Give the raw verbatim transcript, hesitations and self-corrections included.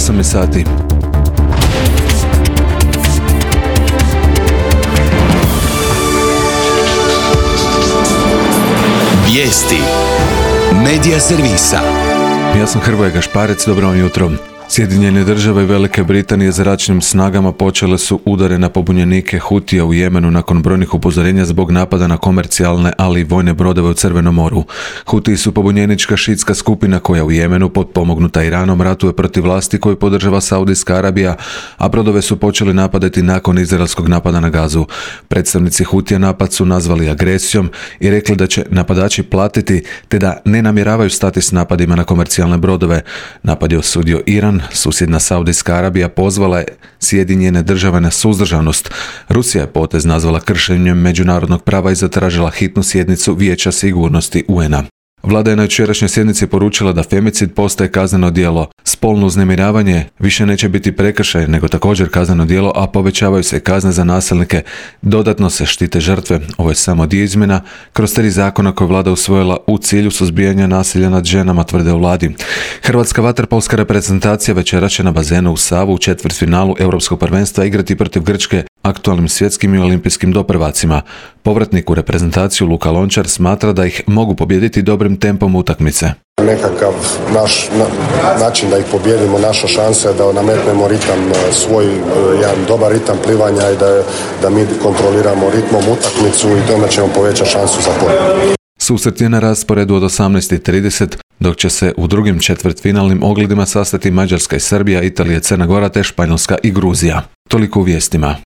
osam je sati. Vijesti Medija servisa. Ja sam Hrvoje Gašparec, dobro vam jutro. Sjedinjene države i Velike Britanije zračnim snagama počele su udare na pobunjenike Hutija u Jemenu nakon brojnih upozorenja zbog napada na komercijalne, ali i vojne brodove u Crvenom moru. Hutiji su pobunjenička šiitska skupina koja u Jemenu, potpomognuta Iranom, ratuje protiv vlasti koju podržava Saudijska Arabija, a brodove su počeli napadati nakon izraelskog napada na Gazu. Predstavnici Hutija napad su nazvali agresijom i rekli da će napadači platiti, te da ne namjeravaju stati s napadima na komercijalne brodove. Napad je osudio Iran. Susjedna Saudijska Arabija pozvala je Sjedinjene države na suzdržanost. Rusija je potez nazvala kršenjem međunarodnog prava i zatražila hitnu sjednicu Vijeća sigurnosti U N-a. Vlada je na jučerašnjoj sjednici poručila da femicid postaje kazneno djelo. Spolno uznemiravanje više neće biti prekršaj, nego također kazneno djelo, a povećavaju se kazne za nasilnike. Dodatno se štite žrtve. Ovo je samo dio izmjena kroz tri zakona koje vlada usvojila u cilju suzbijanja nasilja nad ženama, tvrde u vladi. Hrvatska vaterpolska reprezentacija večeras će na bazenu u Savu u četvrtfinalu Europskog prvenstva igrati protiv Grčke, aktualnim svjetskim i olimpijskim doprvacima. Povratnik u reprezentaciju Luka Lončar smatra da ih mogu pobijediti dobrim tempom utakmice. Nekakav naš na, način da ih pobijedimo, naša šansa je da nametnemo ritam, svoj jedan dobar ritam plivanja i da, da mi kontroliramo ritmom utakmicu i tome ćemo povećati šansu za pobjedu. Susret je na rasporedu od osamnaest i trideset, dok će se u drugim četvrtfinalnim ogledima sastati Mađarska i Srbija, Italija, Crna Gora te Španjolska i Gruzija. Toliko u vijestima.